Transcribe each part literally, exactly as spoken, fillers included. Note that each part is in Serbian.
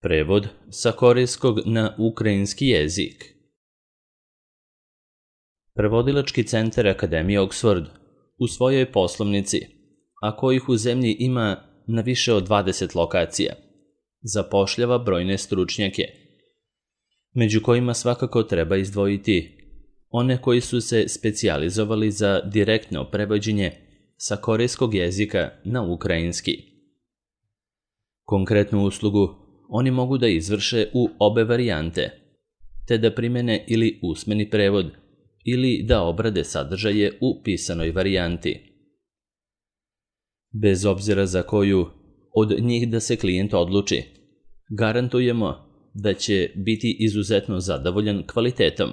Prevod sa korejskog na ukrajinski jezik. Prevodilački centar Akademije Oxford u svojoj poslovnici, a kojih u zemlji ima na više od dvadeset lokacija, zapošljava brojne stručnjake, među kojima svakako treba izdvojiti one koji su se specijalizovali za direktno prevođenje sa korejskog jezika na ukrajinski. Konkretnu uslugu oni mogu da izvrše u obe varijante, te da primene ili usmeni prevod ili da obrade sadržaje u pisanoj varijanti. Bez obzira za koju od njih da se klijent odluči, garantujemo da će biti izuzetno zadovoljan kvalitetom,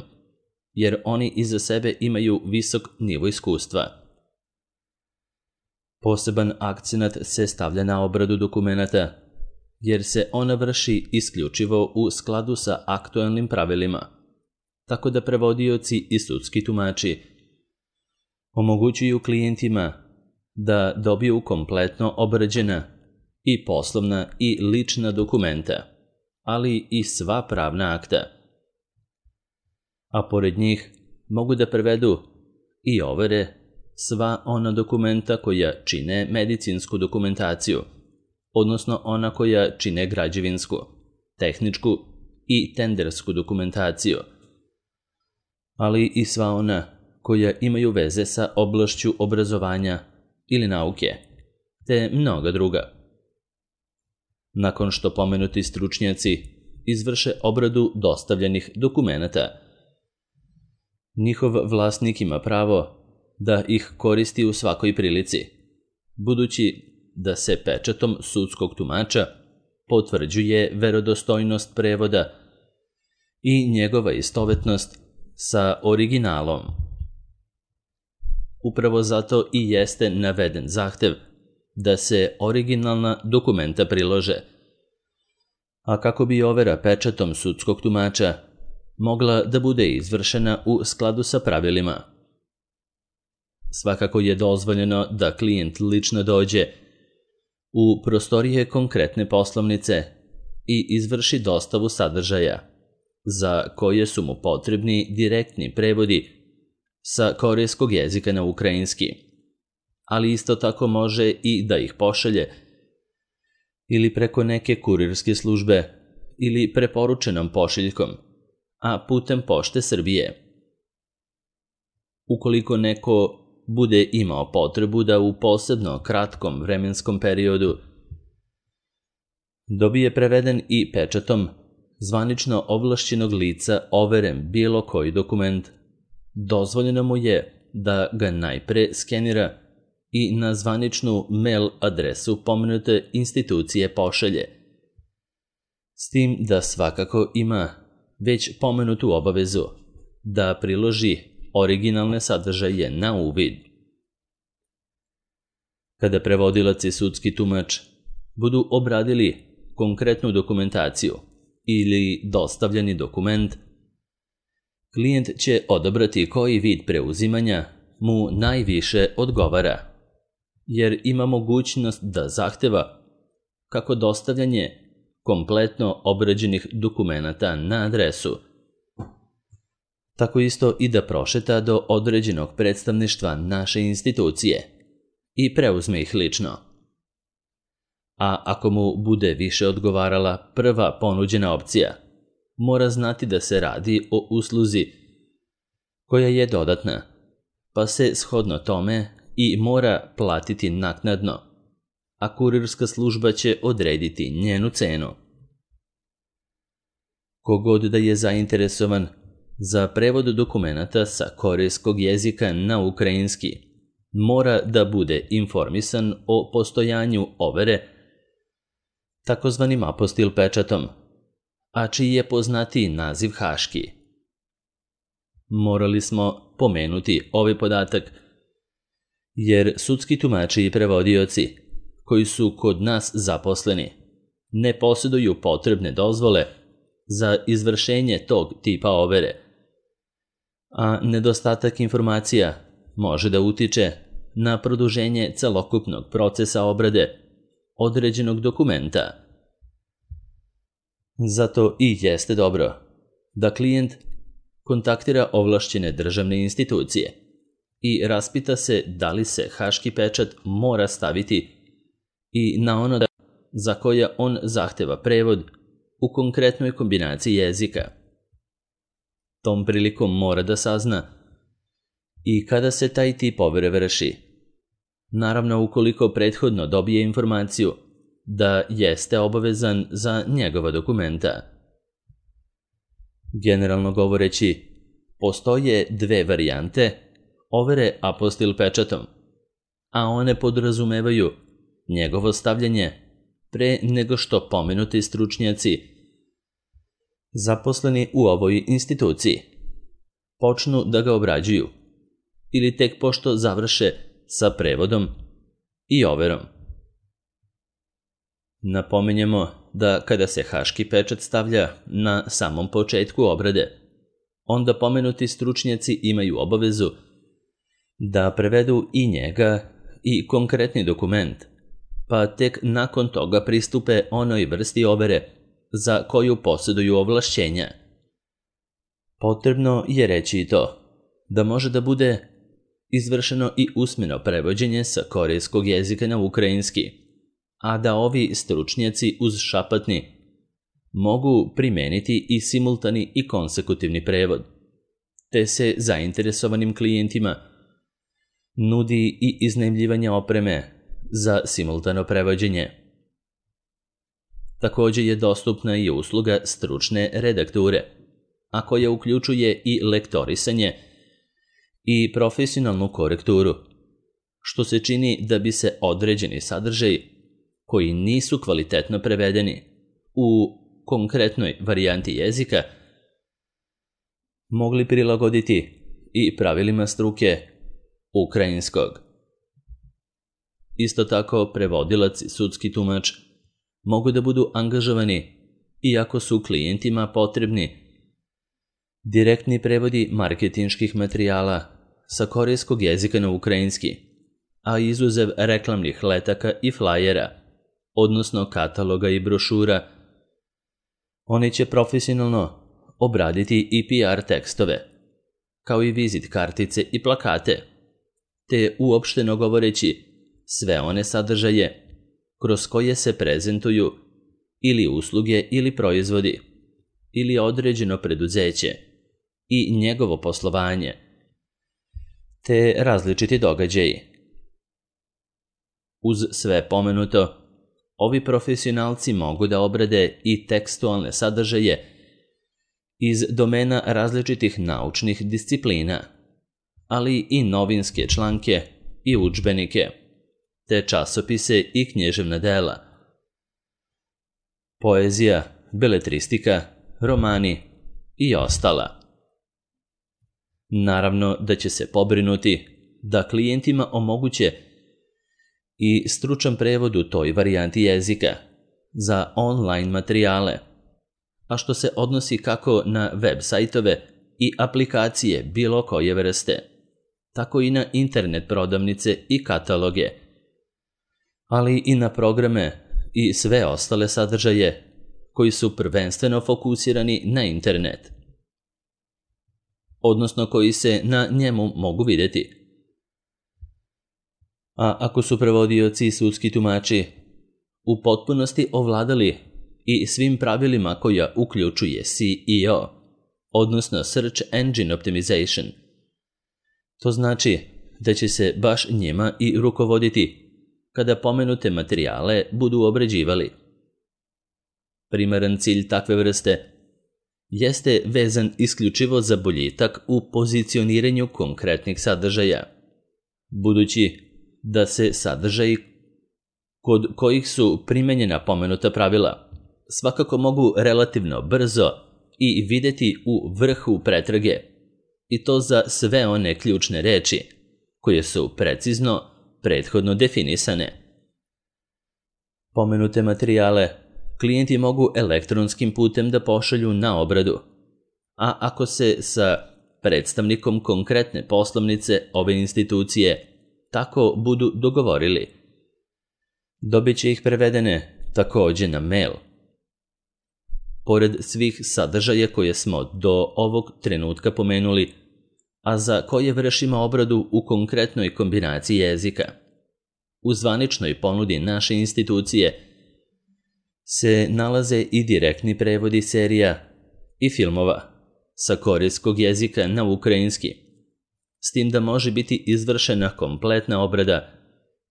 jer oni iza sebe imaju visok nivo iskustva. Poseban akcenat se stavlja na obradu dokumenata, jer se ona vrši isključivo u skladu sa aktuelnim pravilima, tako da prevodioci i sudski tumači omogućuju klijentima da dobiju kompletno obrađena i poslovna i lična dokumenta, ali i sva pravna akta. A pored njih mogu da prevedu i overe sva ona dokumenta koja čine medicinsku dokumentaciju, odnosno ona koja čine građevinsku, tehničku i tendersku dokumentaciju, ali i sva ona koja imaju veze sa oblašću obrazovanja ili nauke, te mnoga druga. Nakon što pomenuti stručnjaci izvrše obradu dostavljenih dokumenata, njihov vlasnik ima pravo da ih koristi u svakoj prilici, budući da se pečatom sudskog tumača potvrđuje verodostojnost prevoda i njegova istovetnost sa originalom. Upravo zato i jeste naveden zahtev da se originalna dokumenta prilože, a kako bi overa pečatom sudskog tumača mogla da bude izvršena u skladu sa pravilima. Svakako je dozvoljeno da klijent lično dođe u prostorije konkretne poslovnice i izvrši dostavu sadržaja, za koje su mu potrebni direktni prevodi sa korejskog jezika na ukrajinski, ali isto tako može i da ih pošalje ili preko neke kurirske službe ili preporučenom pošiljkom, a putem Pošte Srbije. Ukoliko neko bude imao potrebu da u posebno kratkom vremenskom periodu dobije preveden i pečatom zvanično ovlašćenog lica overen bilo koji dokument, dozvoljeno mu je da ga najpre skenira i na zvaničnu mail adresu pomenute institucije pošalje, s tim da svakako ima već pomenutu obavezu da priloži originalne sadržaje na uvid. Kada prevodilac i sudski tumač budu obradili konkretnu dokumentaciju ili dostavljeni dokument, klijent će odabrati koji vid preuzimanja mu najviše odgovara, jer ima mogućnost da zahteva kako dostavljanje kompletno obrađenih dokumenata na adresu, tako isto i da prošeta do određenog predstavništva naše institucije i preuzme ih lično. A ako mu bude više odgovarala prva ponuđena opcija, mora znati da se radi o usluzi koja je dodatna, pa se shodno tome i mora platiti naknadno, a kurirska služba će odrediti njenu cenu. Kogod da je zainteresovan za prevod dokumenata sa korejskog jezika na ukrajinski, mora da bude informisan o postojanju overe takozvanim apostil pečatom, a čiji je poznatiji naziv haški. Morali smo pomenuti ovaj podatak, jer sudski tumači i prevodioci koji su kod nas zaposleni ne posjeduju potrebne dozvole za izvršenje tog tipa overe, a nedostatak informacija može da utiče na produženje celokupnog procesa obrade određenog dokumenta. Zato i jeste dobro da klijent kontaktira ovlašćene državne institucije i raspita se da li se haški pečat mora staviti i na ono za koja on zahteva prevod u konkretnoj kombinaciji jezika. Tom prilikom mora da sazna i kada se taj tip overe vrši. Naravno, ukoliko prethodno dobije informaciju da jeste obavezan za njegova dokumenta. Generalno govoreći, postoje dve varijante overe apostil pečatom, a one podrazumevaju njegovo stavljanje pre nego što pomenuti stručnjaci zaposleni u ovoj instituciji počnu da ga obrađuju ili tek pošto završe sa prevodom i overom. Napominjemo da kada se haški pečat stavlja na samom početku obrade, onda pomenuti stručnjaci imaju obavezu da prevedu i njega i konkretni dokument, pa tek nakon toga pristupe onoj vrsti overe za koju posjeduju ovlašćenja. Potrebno je reći i to da može da bude izvršeno i usmeno prevođenje sa korejskog jezika na ukrajinski, a da ovi stručnjaci uz šapatni mogu primeniti i simultani i konsekutivni prevod, te se zainteresovanim klijentima nudi i iznajmljivanje opreme za simultano prevođenje. Također je dostupna i usluga stručne redakture, a koja uključuje i lektorisanje i profesionalnu korekturu, što se čini da bi se određeni sadržaj koji nisu kvalitetno prevedeni u konkretnoj varijanti jezika mogli prilagoditi i pravilima struke ukrajinskog. Isto tako, prevodilac i sudski tumač mogu da budu angažovani iako su klijentima potrebni direktni prevodi marketinških materijala sa korejskog jezika na ukrajinski, a izuzev reklamnih letaka i flajera, odnosno kataloga i brošura, oni će profesionalno obraditi i P R tekstove, kao i vizit kartice i plakate, te uopšteno govoreći sve one sadržaje kroz koje se prezentuju ili usluge ili proizvodi, ili određeno preduzeće i njegovo poslovanje, te različiti događaji. Uz sve pomenuto, ovi profesionalci mogu da obrade i tekstualne sadržaje iz domena različitih naučnih disciplina, ali i novinske članke i udžbenike, te časopise i književna dela. Poezija, beletristika, romani i ostala. Naravno da će se pobrinuti da klijentima omoguće i stručan prevod u toj varijanti jezika za online materijale, a što se odnosi kako na web sajtove i aplikacije bilo koje vrste, tako i na internet prodavnice i kataloge, ali i na programe i sve ostale sadržaje koji su prvenstveno fokusirani na internet, odnosno koji se na njemu mogu vidjeti. A ako su prevodioci i sudski tumači u potpunosti ovladali i svim pravilima koja uključuje S E O, odnosno Search Engine Optimization, to znači da će se baš njima i rukovoditi kada pomenute materijale budu obrađivali. Primaran cilj takve vrste jeste vezan isključivo za boljitak u pozicioniranju konkretnih sadržaja, budući da se sadržaji kod kojih su primenjena pomenuta pravila svakako mogu relativno brzo i vidjeti u vrhu pretrage, i to za sve one ključne reči koje su precizno prethodno definisane. Pomenute materijale klijenti mogu elektronskim putem da pošalju na obradu, a ako se sa predstavnikom konkretne poslovnice ove institucije tako budu dogovorili, dobit će ih prevedene također na mail. pored svih sadržaja koje smo do ovog trenutka pomenuli, a za koje vršimo obradu u konkretnoj kombinaciji jezika. U zvaničnoj ponudi naše institucije se nalaze i direktni prevodi serija i filmova sa korejskog jezika na ukrajinski, s tim da može biti izvršena kompletna obrada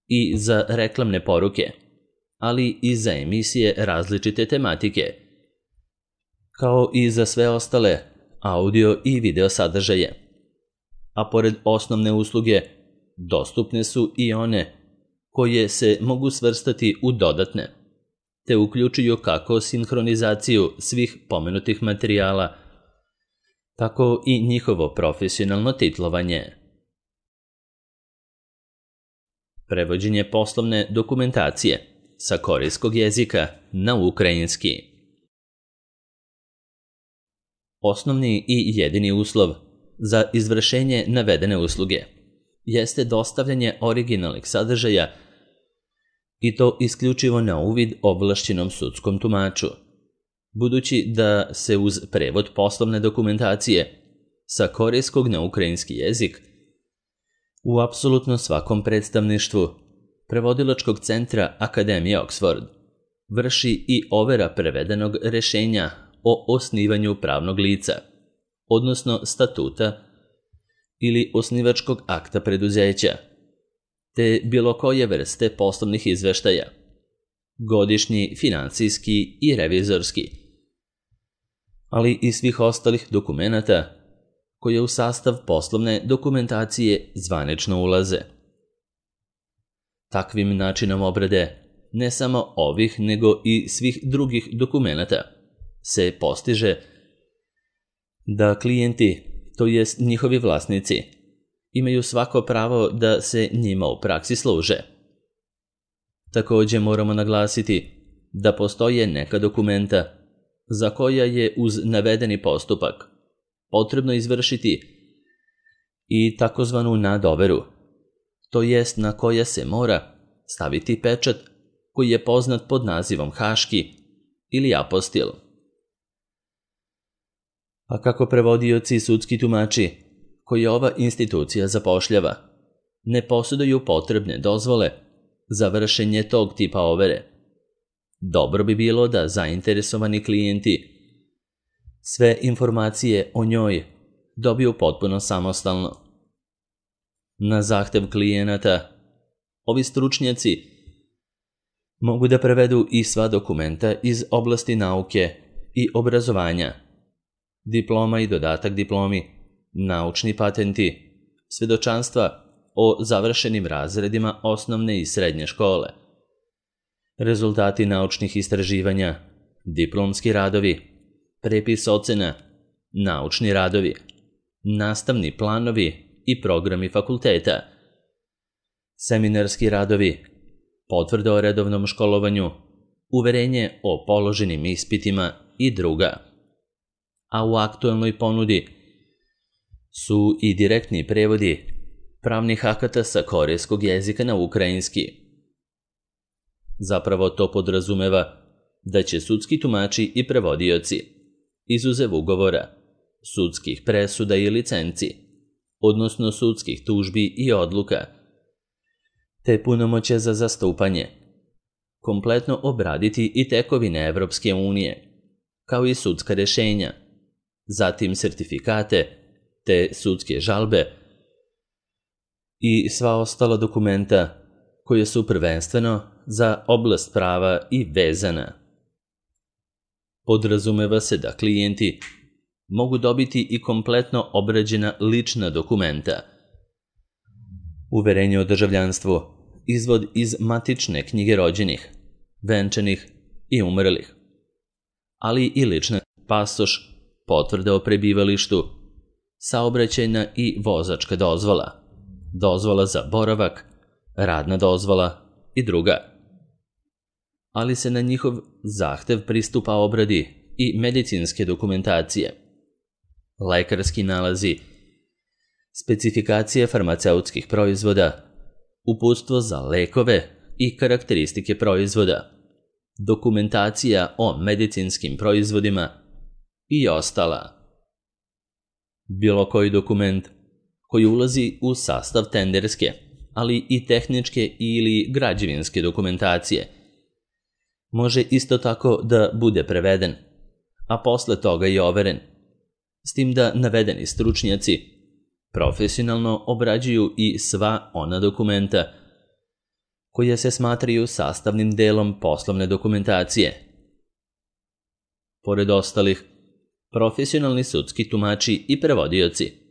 i za reklamne poruke, ali i za emisije različite tematike, kao i za sve ostale audio i video sadržaje. A pored osnovne usluge, dostupne su i one koje se mogu svrstati u dodatne, te uključuju kako sinhronizaciju svih pomenutih materijala, tako i njihovo profesionalno titlovanje. Prevođenje poslovne dokumentacije sa korejskog jezika na ukrajinski. Osnovni i jedini uslov za izvršenje navedene usluge jeste dostavljanje originalnih sadržaja i to isključivo na uvid ovlašćenom sudskom tumaču, budući da se uz prevod poslovne dokumentacije sa korejskog na ukrajinski jezik u apsolutno svakom predstavništvu prevodilačkog centra Akademije Oxford vrši i overa prevedenog rešenja o osnivanju pravnog lica, odnosno statuta ili osnivačkog akta preduzeća, te bilo koje vrste poslovnih izveštaja, godišnji, finansijski i revizorski, ali i svih ostalih dokumenata koje u sastav poslovne dokumentacije zvanično ulaze. Takvim načinom obrade ne samo ovih nego i svih drugih dokumenata se postiže da klijenti, to jest njihovi vlasnici, imaju svako pravo da se njima u praksi služe. Također moramo naglasiti da postoje neka dokumenta za koja je uz navedeni postupak potrebno izvršiti i takozvanu nadoveru, to jest na koja se mora staviti pečat koji je poznat pod nazivom haški ili apostil. A kako prevodioci i sudski tumači koje ova institucija zapošljava ne posjeduju potrebne dozvole za vršenje tog tipa overe, dobro bi bilo da zainteresovani klijenti sve informacije o njoj dobiju potpuno samostalno. Na zahtev klijenata, ovi stručnjaci mogu da prevedu i sva dokumenta iz oblasti nauke i obrazovanja, diploma i dodatak diplomi, naučni patenti, svedočanstva o završenim razredima osnovne i srednje škole, rezultati naučnih istraživanja, diplomski radovi, prepis ocena, naučni radovi, nastavni planovi i programi fakulteta, seminarski radovi, potvrda o redovnom školovanju, uverenje o položenim ispitima i druga. A u aktualnoj ponudi su i direktni prevodi pravnih akata sa korejskog jezika na ukrajinski. Zapravo to podrazumeva da će sudski tumači i prevodioci, izuzev ugovora, sudskih presuda i licenci, odnosno sudskih tužbi i odluka, te punomoće za zastupanje, kompletno obraditi i tekovine Evropske unije, kao i sudska rešenja, zatim sertifikate, te sudske žalbe i sva ostala dokumenta koje su prvenstveno za oblast prava i vezana. Podrazumeva se da klijenti mogu dobiti i kompletno obrađena lična dokumenta, uverenje o državljanstvu, izvod iz matične knjige rođenih, venčanih i umrlih, ali i lične pasoš, potvrde o prebivalištu, saobraćajna i vozačka dozvola, dozvola za boravak, radna dozvola i druga. Ali se na njihov zahtev pristupa obradi i medicinske dokumentacije, lekarski nalazi, specifikacije farmaceutskih proizvoda, uputstvo za lekove i karakteristike proizvoda, dokumentacija o medicinskim proizvodima i ostala. Bilo koji dokument koji ulazi u sastav tenderske, ali i tehničke ili građevinske dokumentacije, može isto tako da bude preveden, a posle toga i overen, s tim da navedeni stručnjaci profesionalno obrađuju i sva ona dokumenta koja se smatraju sastavnim delom poslovne dokumentacije. Pored ostalih, profesionalni sudski tumači i prevodioci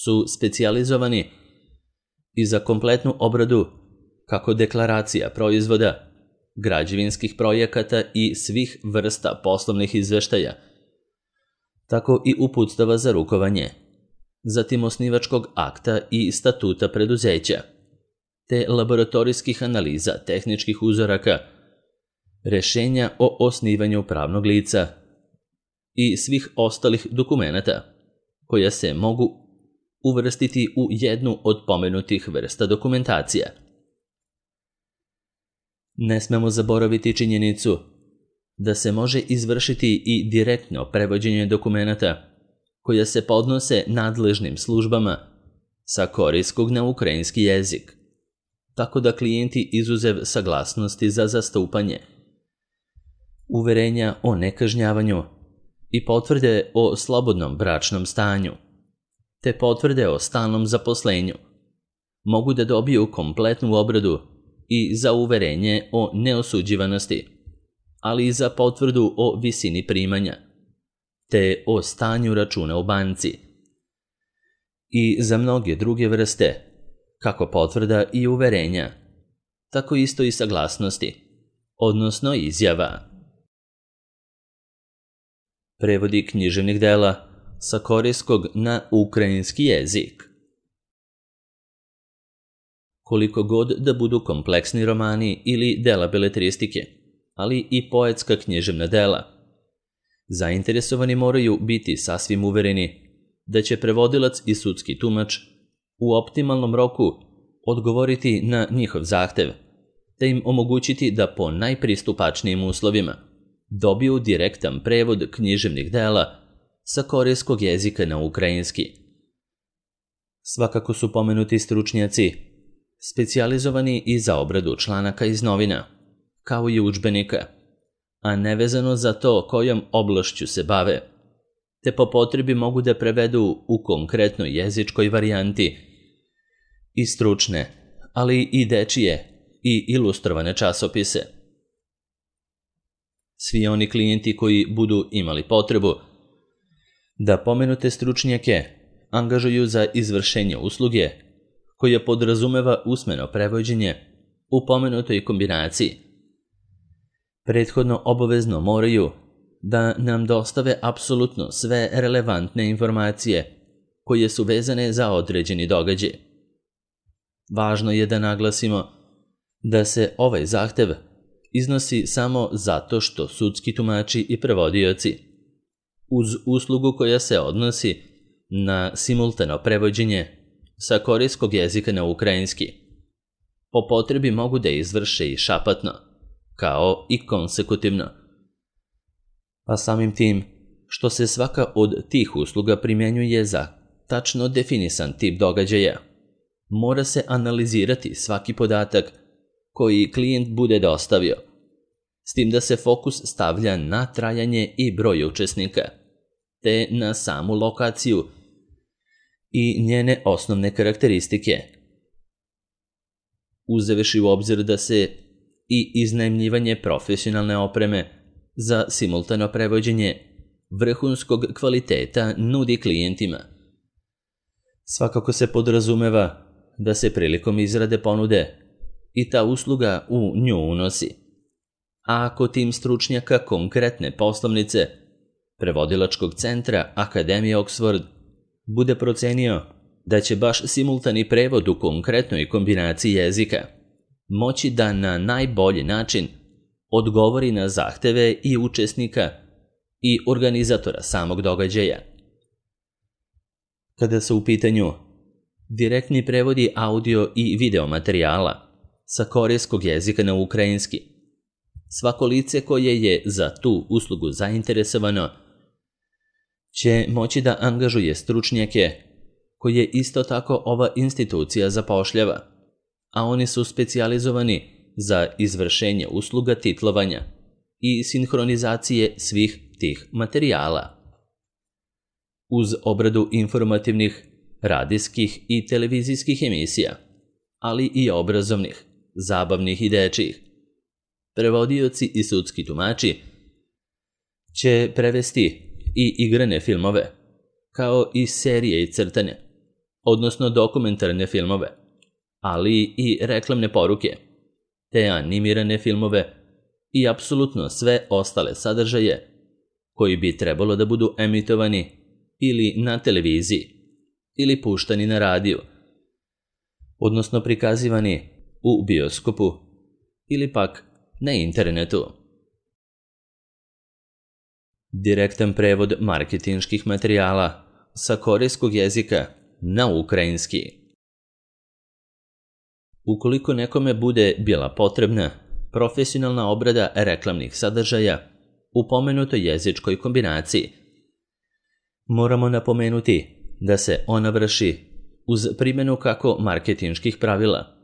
su specijalizovani i za kompletnu obradu kako deklaracija proizvoda, građevinskih projekata i svih vrsta poslovnih izveštaja, tako i uputstava za rukovanje, zatim osnivačkog akta i statuta preduzeća, te laboratorijskih analiza tehničkih uzoraka, rešenja o osnivanju pravnog lica i svih ostalih dokumenata koja se mogu uvrstiti u jednu od pomenutih vrsta dokumentacija. Ne smemo zaboraviti činjenicu da se može izvršiti i direktno prevođenje dokumenata koja se podnose nadležnim službama sa korejskog na ukrajinski jezik, tako da klijenti izuzev saglasnosti za zastupanje, uverenja o nekažnjavanju i potvrde o slobodnom bračnom stanju, te potvrde o stalnom zaposlenju, mogu da dobiju kompletnu obradu i za uverenje o neosuđivanosti, ali i za potvrdu o visini primanja, te o stanju računa u banci, i za mnoge druge vrste, kako potvrda i uverenja, tako isto i saglasnosti, odnosno izjava. Prevodi književnih dela sa korejskog na ukrajinski jezik. Koliko god da budu kompleksni romani ili dela beletristike, ali i poetska književna dela, zainteresovani moraju biti sasvim uvereni da će prevodilac i sudski tumač u optimalnom roku odgovoriti na njihov zahtev, te im omogućiti da po najpristupačnijim uslovima dobiju direktan prevod književnih dela sa korejskog jezika na ukrajinski. Svakako su pomenuti stručnjaci specijalizovani i za obradu članaka iz novina, kao i udžbenika, a nevezano za to kojom oblašću se bave, te po potrebi mogu da prevedu u konkretnoj jezičkoj varijanti i stručne, ali i dečije i ilustrovane časopise. Svi oni klijenti koji budu imali potrebu da pomenute stručnjake angažuju za izvršenje usluge koja podrazumeva usmeno prevođenje u pomenutoj kombinaciji, prethodno obavezno moraju da nam dostave apsolutno sve relevantne informacije koje su vezane za određeni događaj. Važno je da naglasimo da se ovaj zahtev iznosi samo zato što sudski tumači i prevodioci, uz uslugu koja se odnosi na simultano prevođenje sa korejskog jezika na ukrajinski, po potrebi mogu da izvrše i šapatno, kao i konsekutivno. A samim tim, što se svaka od tih usluga primjenjuje za tačno definisan tip događaja, mora se analizirati svaki podatak koji klijent bude dostavio, s tim da se fokus stavlja na trajanje i broj učesnika, te na samu lokaciju i njene osnovne karakteristike. Uzevši u obzir da se i iznajmljivanje profesionalne opreme za simultano prevođenje vrhunskog kvaliteta nudi klijentima. Svakako se podrazumeva da se prilikom izrade ponude i ta usluga u nju unosi. A ako tim stručnjaka konkretne poslovnice prevodilačkog centra Akademije Oxford bude procenio da će baš simultani prevod u konkretnoj kombinaciji jezika moći da na najbolji način odgovori na zahteve i učesnika i organizatora samog događaja. Kada su u pitanju direktni prevodi audio i video materijala sa korejskog jezika na ukrajinski, Svako lice koje je za tu uslugu zainteresovano će moći da angažuje stručnjake koje isto tako ova institucija zapošljava, a oni su specijalizovani za izvršenje usluga titlovanja i sinhronizacije svih tih materijala. Uz obradu informativnih, radijskih i televizijskih emisija, ali i obrazovnih, zabavnih i dečijih, prevodioci i sudski tumači će prevesti i igrane filmove, kao i serije i crtane, odnosno dokumentarne filmove, ali i reklamne poruke, te animirane filmove i apsolutno sve ostale sadržaje koji bi trebalo da budu emitovani ili na televiziji ili puštani na radiju, odnosno prikazivani u bioskopu ili pak na internetu. Direktan prevod marketinških materijala sa korejskog jezika na ukrajinski. Ukoliko nekome bude bila potrebna profesionalna obrada reklamnih sadržaja u pomenutoj jezičkoj kombinaciji, moramo napomenuti da se ona vrši uz primjenu kako marketinških pravila,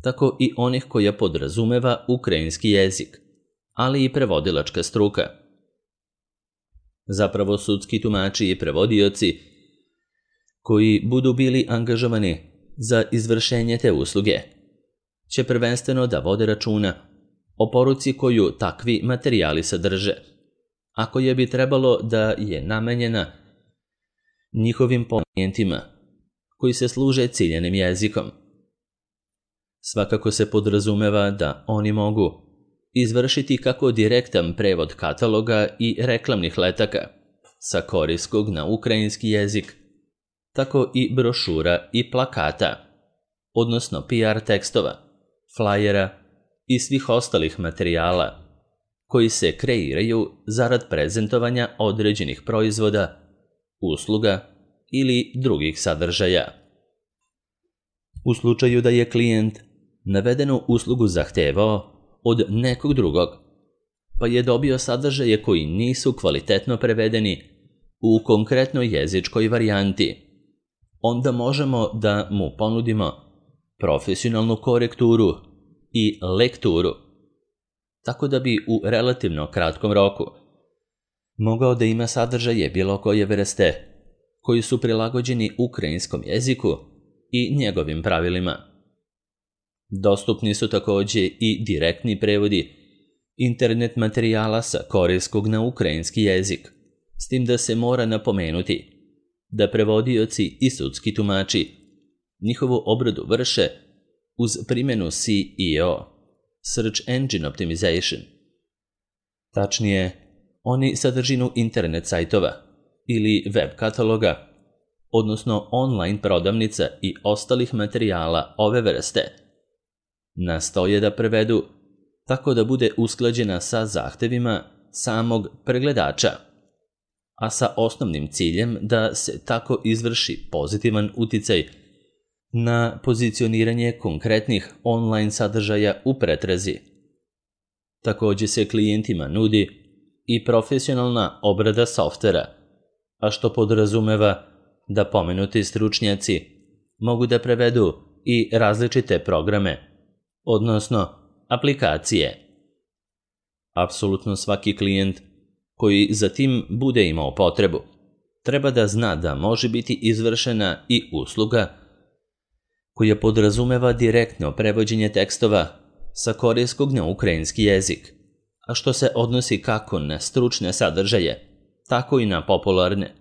tako i onih koja podrazumeva ukrajinski jezik, ali i prevodilačka struka. Zapravo sudski tumači i prevodioci koji budu bili angažovani za izvršenje te usluge će prvenstveno da vode računa o poruci koju takvi materijali sadrže, a koja bi trebalo da je namenjena njihovim klijentima koji se služe ciljanim jezikom. Svakako se podrazumeva da oni mogu izvršiti kako direktan prevod kataloga i reklamnih letaka sa korejskog na ukrajinski jezik, tako i brošura i plakata, odnosno P R tekstova, flajera i svih ostalih materijala koji se kreiraju zarad prezentovanja određenih proizvoda, usluga ili drugih sadržaja. U slučaju da je klijent navedenu uslugu zahtevao od nekog drugog, pa je dobio sadržaje koji nisu kvalitetno prevedeni u konkretnoj jezičkoj varijanti, onda možemo da mu ponudimo profesionalnu korekturu i lekturu, tako da bi u relativno kratkom roku mogao da ima sadržaje bilo koje vrste koji su prilagođeni ukrajinskom jeziku i njegovim pravilima. Dostupni su također i direktni prevodi internet materijala sa korejskog na ukrajinski jezik, s tim da se mora napomenuti da prevodioci i sudski tumači njihovu obradu vrše uz primjenu S E O, Search Engine Optimization. Tačnije, oni sadržinu internet sajtova ili web kataloga, odnosno online prodavnica i ostalih materijala ove vrste, nastoje da prevedu tako da bude usklađena sa zahtevima samog pregledača, a sa osnovnim ciljem da se tako izvrši pozitivan uticaj na pozicioniranje konkretnih online sadržaja u pretrazi. Također se klijentima nudi i profesionalna obrada softvera, a što podrazumeva da pomenuti stručnjaci mogu da prevedu i različite programe, odnosno aplikacije. Apsolutno svaki klijent koji za tim bude imao potrebu treba da zna da može biti izvršena i usluga koja podrazumeva direktno prevođenje tekstova sa korejskog na ukrajinski jezik, a što se odnosi kako na stručne sadržaje, tako i na popularne,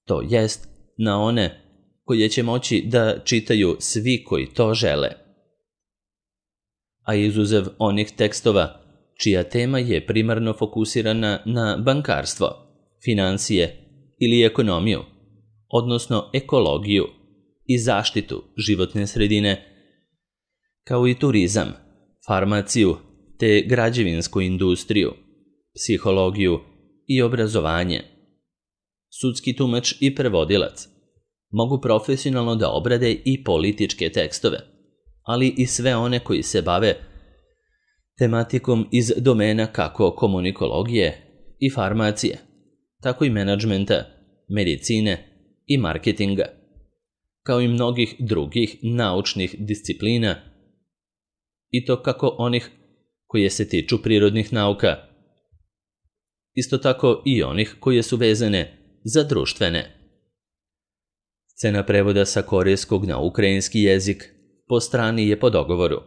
to jest na one koje će moći da čitaju svi koji to žele. A izuzev onih tekstova čija tema je primarno fokusirana na bankarstvo, financije ili ekonomiju, odnosno ekologiju i zaštitu životne sredine, kao i turizam, farmaciju te građevinsku industriju, psihologiju i obrazovanje. Sudski tumač i prevodilac mogu profesionalno da obrade i političke tekstove, ali i sve one koji se bave tematikom iz domena kako komunikologije i farmacije, tako i menadžmenta, medicine i marketinga, kao i mnogih drugih naučnih disciplina, i to kako onih koje se tiču prirodnih nauka, isto tako i onih koje su vezane za društvene. Cena prevoda sa korejskog na ukrajinski jezik po strani je po dogovoru.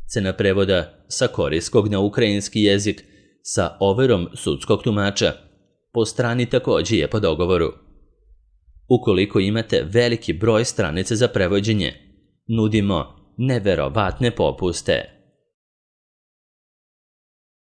Cena prevoda sa korejskog na ukrajinski jezik sa overom sudskog tumača po strani također je po dogovoru. Ukoliko imate veliki broj stranica za prevođenje, nudimo neverovatne popuste.